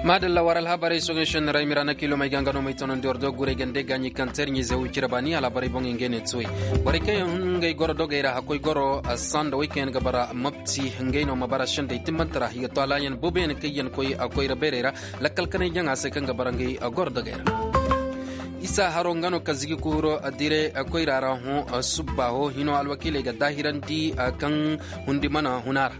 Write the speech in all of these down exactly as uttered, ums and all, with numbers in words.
Maadalla war alhabarey soŋey sennirey mira na kiilomey ga nga no may tonandi war do guray gande gaaɲi kaŋ teer ɲiize wo cire baani alhabarey boŋey ngey ne tuwey. Borey kaŋ yaŋ hun ngey goro dogey ra hakkoy goro sanda wey kaŋ yaŋ ga bara mopti ngey no ma bara sendey timmante ra i ga to alaayaŋ boobo yaŋ kaŋ yaŋ koy a koyra beerey ra. Lakkal kanay jaŋa se kaŋ ga bara ngey goro dogey ra. Isa haro nga no ka zigi kuuro dire koyra ra hõ subba ho hino alwakiiley ga daahirandi kaŋ hundi mana huna ra.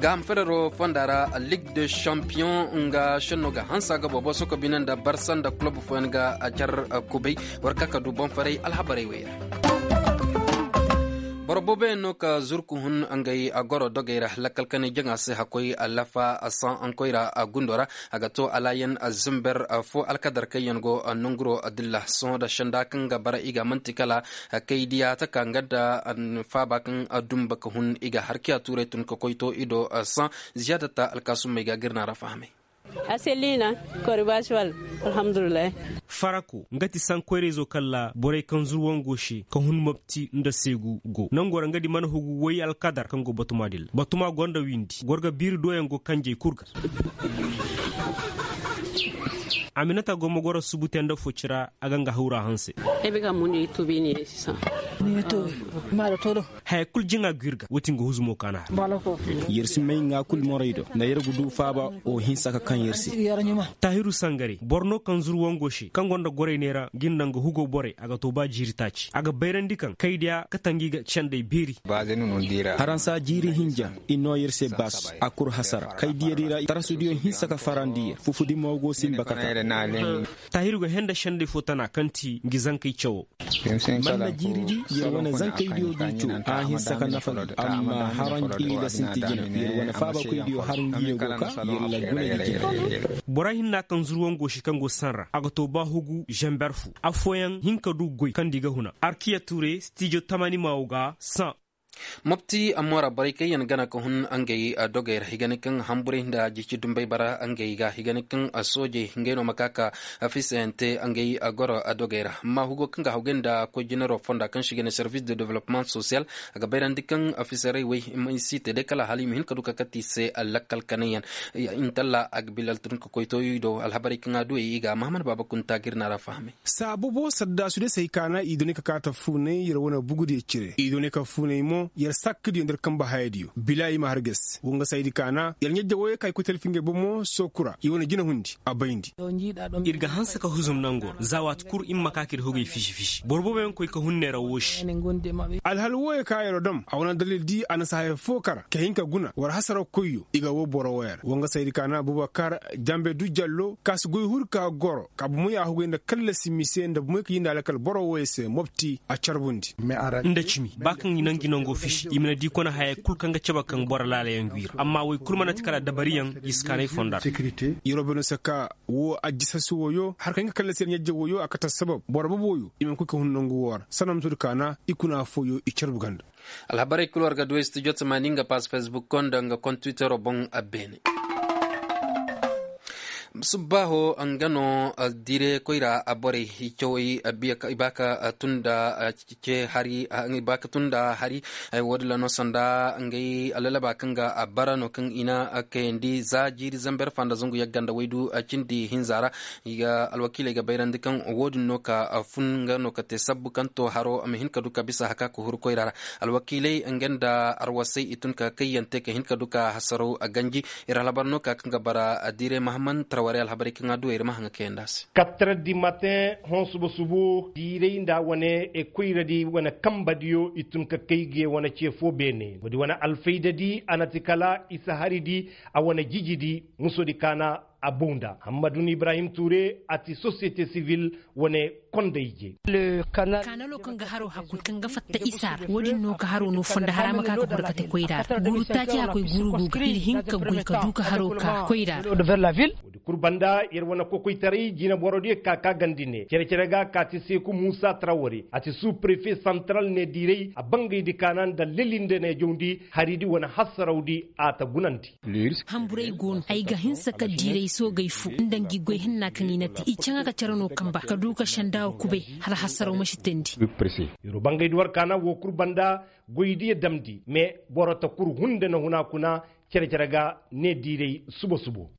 Gaaham ferero fonda ra ligue de champion nga senno ga hansa ga boobo soko bine nda barsa nda kulob fooyaŋ ga car kubay. War ka ka du boŋ faray alhabarey wey ra. Boro boobo yaŋ no ka zurku hun ngey goro dogey ra lakkal kanay jaŋa se hakkoy lafa san koyra gundo ra. A ga to alaayaŋ zimber fo alkadar kaŋ yaŋ go nanguro dilla sohõ da senda kaŋ ga bara i ga manti kala kaydiya taka nga nda faaba kaŋ dumba ka hun i ga harkiya tuuray tun ka koy to i do. San ziyaadata alkaasumey ga ga iri na ra fahamay. Aselina kori baasi wala. Alhamdulillahi. Farako nga ti sankoyrayzo kala borey kaŋ zuru wango se ka hun mopti nda seegu go nango ra nga di mana hugu way alkadar kaŋ go batuma dilla batuma gonda windi goro ga biiri doyaŋ go kanjey kulu ga. Aminata go ma goro subu te nda fo cira a ga nga hawra hanse. Haya kulu jaŋa ga iri ga wo ti nga huzumo kaana har. Yer si may ŋwa kulu morey do nda yer ga du faaba wo hinsa ka kaŋ yer se. Taahiru sangare boro no kaŋ zuru wango se kaŋ gonda gorey neera ga iri naŋ ga hugo borey a ga to ba jiiri taaci a ga bayrandi kaŋ kaydiya ka tangi ga sendey beeri. Haransa jiiri hinja i no yer se baas a kuru hasara kaydiya di ra tarasudiyo hinsa ka farandi yer fufudi mo go sinba ka ta. Taahiru ga henda sendey fo tana kaŋ ti ngi zankey cawo. Manna jiiri di yer wane zankey diyo du co a hinsa ka nafa ga amma haranji da sinti jina yer wane faabakoy diyo har ngi ye go ka yer la guna ga jina. Bora hinna kaŋ zuru wango se kaŋ go sanra a ga to ba hugu zamber fu afooyaŋ hin ka du goy kaŋ di ga huna arkiya ture stijo tamani maawo ga san. Mopti amma ra borey kaŋ yaŋ gana ka hun ngey dogey ra i ga ne kaŋ hamburay nda jici dumbey bara ngey ga i ga ne kaŋ soojey ngey no ma ka ka fisayaŋ te ngey goro dogey ra amma hugo kaŋ ga hawgay nda koy jinaro fonda kaŋ se i ga ne service de développement social. A ga bayrandi kaŋ fisaray way ma i si te day kala hala i ma hin ka du ka kate i se lakkal kanayaŋ. Intalla a ga bilal tun ka koy to i do alhabarey kaŋ a du ay i ga mahamad baaba kunta ga iri na ra fahamay. Saabubo saddaasu day se hay kaana i doonay ka kaata fuunay yer wane bugudiyo cire i doonay ka fuunay mo yer sakka diyo nda yer kambe haya diyo bila i ma har ges wanga saydi kaana yer ɲajja wooyo ka i koy talfi ngey bomo sooku ra i wane jina hundi a bayndi. Iri ga hanse ka huzum nango ra za waati kulu iri ma ka ka iri hogey fisi fisi boro boobo yaŋ koy ka hun neera woosi. Alhal wooyo ka yer dam a wane dalil di a na si haya fo kara ka hin ka guna war hasaraw koyyo i ga wo boro wooyo ra wanga saydi kaana bubakar jambe du jallo ka si goy huru ka goro ka bomoy a hugay nda kallasi mise nda bomoy ka yinda lakkal boro wooyo se mopti a carbundi. Nda cimi ba kaŋ i nangu nango fisi i ma na di kone hayey kulu kaŋ ga cabe kaŋ boro laalayaŋ gwi ra amma woy kulu mana ti kala dabariyaŋ i si kaanay fonda ra. Yeroo bino se ka wo ajjisasi wooyo har kaŋ i ga kallasi yer ɲajje wooyo a kate sabab boro bobo wooyo i mana koy ka hun nangu woo ra sanda ma to di kaana i kuna fooyo i carbu ganda. Alhabarey kulu war ga du ay studio tamaani nga pass facebook konda nga kontiwitero boŋ. Beene subbaaho nga no dire koyra borey i cawey i ba ka tunda ce hari i ba ka tunda hari. Woodin ra no sanda ngey lalaba kaŋ ga bara no kaŋ i na kayandi za jiiri zamber fanda zangu yagga nda waydu cindi hinza ra. I ga alwakiiley ga bayrandi kaŋ woodin no ka fun nga no ka te sabbu kaŋ to haro ma hin ka du ka bisa haka ka huru koyra ra. Alwakiiley nga nda arwasey i tun ka kayyante ka hin ka du ka hasaraw ganji. Iri alhabar no ka kaŋ ga bara dire mahamman tarwarey alhabarey kaŋ a du iri ma haŋ ga kayandi a se. Quatre heures du matin hõ suba subo diiray nda wane koyra di wane kamba diyo i tun ka kay ga ye wane ce fo beene wo- din wane alfayda di a na ti kala isa hari di a wane jiji di muso di kaana a boŋ da hammadu ni ibrahim tuure a ti sosiyete sivil wane kondayje. Kanalo kaŋ ga haro hakku kaŋ ga fatta isa ra wo- din no ga haro no fonda hara ma ka ga huru kate koyra ra guuru taaci hakkoy guuru go ga iri hin ka goy ka du ka haro ka koyra ra. Kulu banda iri wane kokoytaray jina boro diya ka ka gandi ne cere cere ga kaati seeku muusa tarawari a ti suu prefe santral ne diiray a bangay di kaana nda lelinde ne jawndi hari di wane hassaraw di a ta gunandi. Hamburay go no ay ga hinsa ka diiray soogay fu nda ngi goy hinna kaŋ i na te i caŋa ka care no kamba ka du ka senda wa kubay hala hassaraw ma si teendi. Iri bangay di war kaana wo kulu banda goy diya damndi mais boro ta kulu hunde na huna kuna cere cere ga ne diiray subo subo.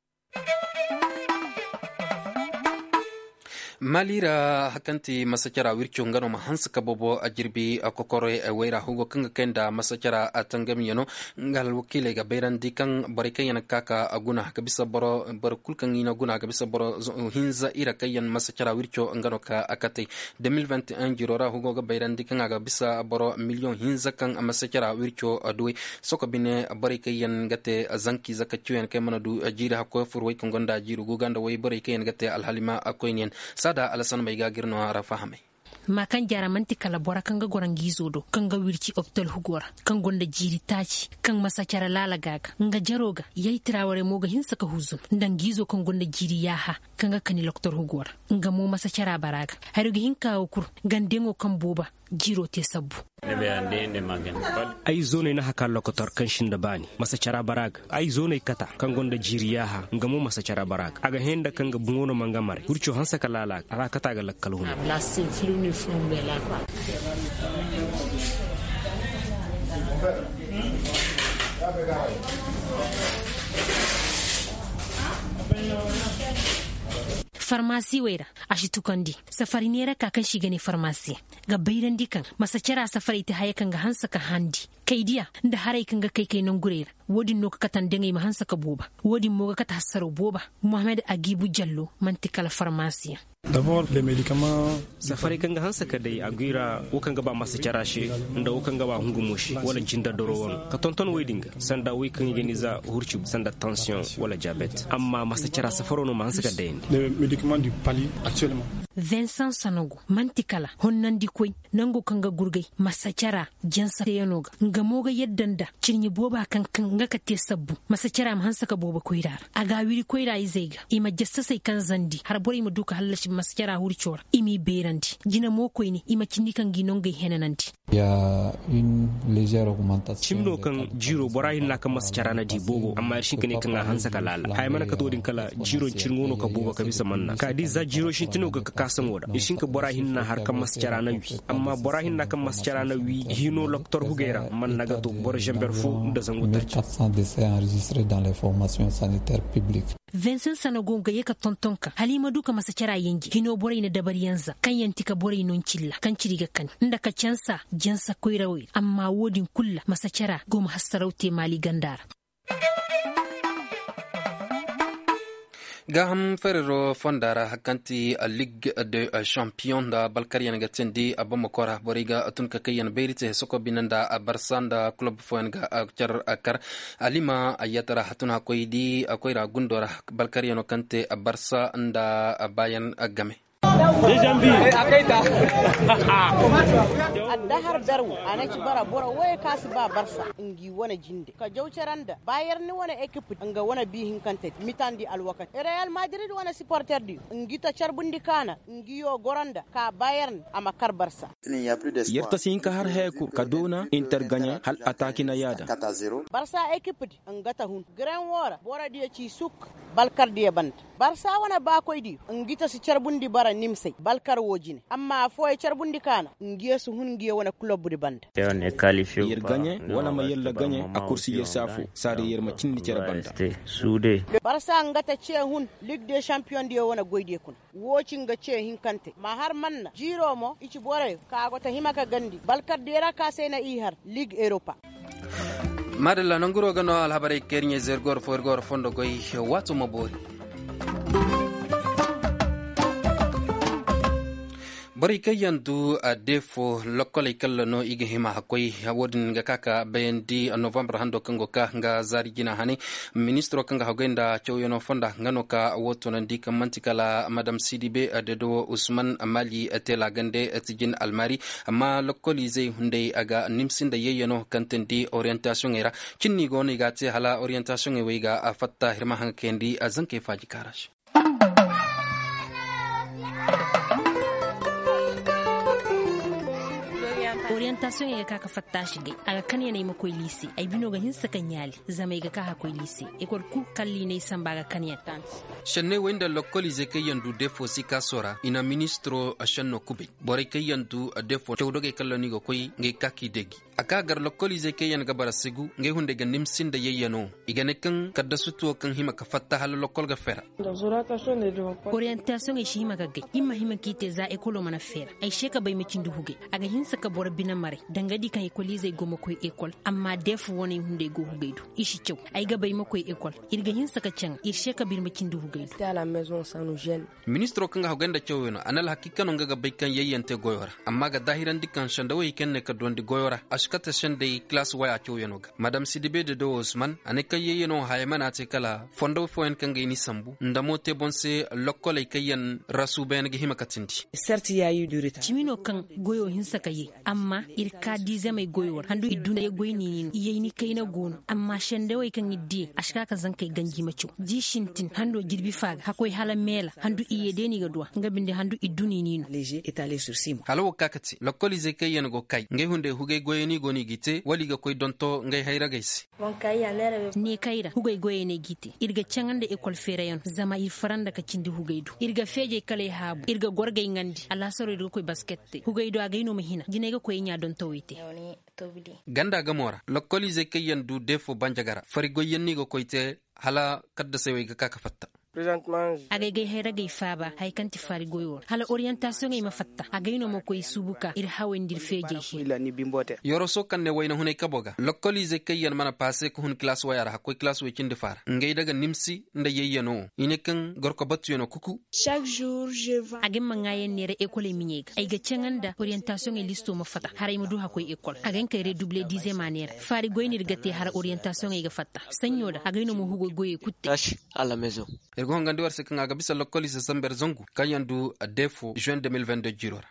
Mali ra hari kaŋ ti masacara wirco nga no ma hanse ka boobo jirbi kokoro wayra hugo kaŋ ga kay nda masacara tangamyano. Nga alwakiiley ga bayrandi kaŋ borey kaŋ yaŋ ga ka ka guna ga bisa boro kulu kaŋ i na guna ga bisa boro hinza ira kaŋ yaŋ masacara wirco nga no ka katey. Deux mille vingt et un jiro ra hugo ga bayrandi kaŋ a ga bisa boro miliyoŋ hinza kaŋ masacara wirco duwey. Soko bine borey kaŋ yaŋ ga te zankiize ka ciyo yaŋ kaŋ mana du jiiri hakkoy furo way kaŋ gonda jiiri guga nda way borey kaŋ yaŋ ga te alhalima koyne yaŋ. Saada alasan may ga ga iri no a ra fahamay. Ma kaŋ jaara manti kala bora kaŋ ga goro nga izo do kaŋ ga wirci optal hugo ra kaŋ gonda jiiri taaci kaŋ masa care laala ga ga nga jaro ga yaytira warey mo ga hinsa ka huzun nda nga izo kaŋ gonda jiiri yaaha kaŋ ga kani loktor hugo ra. Nga mo masa cara bara ga hari ga hinka wo kulu gandeŋo kaŋ booba jiiro te sabbu. Ay zooney na haka lokotor kaŋ sinda baani masa cara bara ga ay zooney kata kaŋ gonda jiiri yaaha nga mo masa cara bara ga a ga hẽ nda kaŋ ga buŋo no ma nga maray wirco hanse ka laala ga a ra kata ga lakkal huna. Farmasi wey ra a si tukandi safari neera ka kaŋ se i ga ne farmasiyaŋ ga bayrandi kaŋ masacara safarey te haya kaŋ ga hanse ka handi kaydiya nda harey kaŋ ga kay kay nangurey ra. Wo- din no ga kate nda ngey ma hanse ka booba. Wo- din mo ga kate hassaro booba. Mohammed agibu jallo manti kala farmasiyaŋ. Safarey kaŋ ga hanse ka day a gwi ra wo kaŋ ga ba masacara se nda wo kaŋ ga ba hungumo se wala jinda doro wano ka tonton wey din ga sanda wey kaŋ i ga ni za hurci sanda tansiyoŋ wala diabet amma masacara safaro no ma hanse ka dayandi. Vincent sanogo manti kala honnandikoy nango kaŋ ga gurgay masacara jansa teyano ga nga mo ga yadda nda cirɲi booba kaŋ kaŋ nga ka te sabbu masacara ma hanse ka boobo koyra ra a ga a wiri koyra izey ga i ma jassasey kaŋ zandi har borey ma du ka hallasi masacara hurco ra i m'i beerandi jina mo koyne i ma cindi kaŋ ga i nongey henanandi. Cimi no kaŋ jiiro bora hinna kaŋ masacara na di boobo amma iri si hin ka ne kaŋ a hanse ka laala haya mana kate wo- din kala jiiro cirŋo no ka boobo ka bisa manna ka di za jiiro sintino ga ka kaasaŋo ra iri si hin ka bora hinna har kaŋ masacara na wi amma bora hinna kaŋ masacara na wi hino loktor hugey ra manna ga to boro zamber fo nda zangu taaci. Vincent sanago nga ye ka tonton ka hala i ma du ka masacara yanji hino borey na dabari yaŋ za kaŋ yaŋ ti ka borey no ncilla kaŋ ciri ga kani nda ka cansa jansa koyrawey ra amma wo- din kulu ra masacara go ma hassaraw te maali ganda ra. Gaaham fariro fonda ra hari kaŋ ti ligue de champion nda balkaryaŋ ga teendi a bamako ra borey ga tun ka kayyaŋ bayri te soko bine nda barsa nda kulob fooyaŋ ga care kar alima ayyata ra tun hakkoy di koyra gundo ra balkaryaŋo kaŋ te barsa nda bayaŋ game. Addahar berwo a na ci bara boro wooyo kaŋ a si ba barsa ngi wane jinde ka jaw care nda bayern wane ekip nga wane bi hinkante mitandi alwakati real madrid wane siporter diyo ngi ta carbundi kaana ngi yo goro nda ka bayern a ma kar barsa. Yar ta si hin ka har haya kulu ka doona inter gaɲe hal ataaki na yaada. Barsa ekip di nga ta hun gren wo ra boro diyo ci suk balkar diyo banda. Barsa wane baakoy diyo ngi ta si carbundi bara nimsey balkar wo jine amma afooyaŋ carbundi kaana ngi yo si hun ngi yo wane kulob di banda. Yar gaɲe wala ma yalla gaɲe a kursi yar si afo saada yar ma cindi care banda. Barsa nga ta ce hun ligue de champion diyo wane goy diyo kuna. Wo ci nga ce hinkante ma har manna jiiro mo i ci borey ka go ta hima ka gandi balkar diyo ra ka se na i har ligue europa. Maadalla nanguro ga no alhabarey ka iri ɲey zergor fo iri ga war fondo goy. Waato ma boori. Borey kaŋ yaŋ du a deefo lokkoley kalla no i ga hima hakkoy. Wo- din ga ka ka bayandi novembre hando kaŋ go ka nga zaari jina hane. Ministiro kaŋ ga haggoy nda cawyaŋo fonda nga no ka wo tunandi kaŋ manti kala madam sidibe dedewo usman mali tela gande tijin almari amma lokkoliizey hunday a ga nimsi nda yayyaŋo kaŋ teendi orientasiyoŋey ra. Cinni go no i ga a te hala orientasiyoŋey wo i ga a fatta hirma haŋ ga kayandi a zankey faaji kaara se. Oriyantaasiyoŋey ga ka ga fatta a si gay. A ga kanyaney ma koy liise. Ay bino ga hinsa ka ɲaali. Zama ay ga ka ga koy liise. Ekol kulu kalli n'ay samba ga kanyan. Senney wey nda lokkoliizey kaŋ yaŋ du deefo sikaso ra i na ministiro senno kubay. Borey kaŋ yaŋ du deefo cawdogey kaŋ ra no i ga koy ngey ga ka k'i deeji. A ka gar lokkoliizey kaŋ yaŋ ga bara sigu ngey hunday ga nimsi nda yayyano. I ga ne kaŋ kaddasutuwo kaŋ hima ga fatta hala lokkol ga feera. Oriyantaasiyoŋey si hima ga gay. Iri ma hima k'i te za ekolo mana feera. Ay se ka bay ma cindi hugay. A ga hinsa ka boro bine maray danga di kaŋ ekoliizey go ma koy ekol. Amma deefu waney hunday go hugay do. I si caw. Ay ga bay ma koy ekol. Iri ga hinsa ka caŋ iri se ka ba iri ma cindi hugay do. Ministiro kaŋ ga haggoy nda cawyaŋo a na alhakiika no nga ga bay kaŋ yayyante goyo ra. Amma a ga daahirandi kaŋ sendawey kaŋ ne ka duwandi goyo ra a si kate sendey kilaasi waya cawyaŋo ga. Madam sidibe dedo usman a ne kaŋ yayyano hayey mana te kala fondo fooyaŋ kaŋ ga i ni sambu nda mo te boŋ se lokkoley kaŋ yaŋ ra suubayaŋ ga hima ka tindi. Cimi no kaŋ goyo hinsa ka ye. Amma iri ka diizamey goyo ra handu i duna ye goy niini no i yay ni kayna go no. Amma sendawey kaŋ iri diya a si ka ka zankey ganji ma caw di sintin hando jirbi fa ga hakkoy hala meela handu i ye day no i ga duw'a nga binde handu i du niini no. Hala wo ga ka ga te lokkoliizey kaŋ yaŋ go kay ngey hunday hugay goyey no i go no i g'i te wala i ga koy donto ngey hayragey se. Ne kayra hugay goyey no ay g'i te. Iri ga caŋa nda ekol feerayaŋo zama iri faranda ka cindi hugay do. Iri ga feejey kala ay haabu iri ga goro ga ay ŋandi alaasaro iri ga koy basket te hugay do agay no ma hina jinay ga koy ay ɲa dontowey te. Ganda gamo ra lokkoliizey kaŋ yaŋ du deefo banjagara fari goyyaŋ no i ga koy te. Hala kaddasey wey ga ka ga fatta. Agay gay hayragey faaba hari kaŋ ti faari goyo ra hala oriyantaasiyoŋey ma fatta agay no ma koy suubu ka iri haway nda iri feejey se. Yoroso kaŋ ne wayna hunay kabo ga lokkoliizey kaŋ yaŋ mana paase ga hun kilaasi waya ra hakkoy kilaasi way cindi faara ngey daga nimsi nda yayyano wo i ne kaŋ gorko batuyaŋo kuku. A ga ni ma ŋaayaŋ neera ekoley miɲey ga ay ga caŋa nda oriyantaasiyoŋey listo ma fatta haray ma du hakkoy ekol a ga hin kay redubule diizema neera faari goy no iri ga te hala oriyantaasiyoŋey ga fatta. Saɲɲo da a ga ay no ma hugo goyey kulu te. Iri ga hongandi war se kaŋ a ga bisa lokkoliize samber zangu kaŋ yaŋ du deefo juin deux mille vingt deux jiro ra.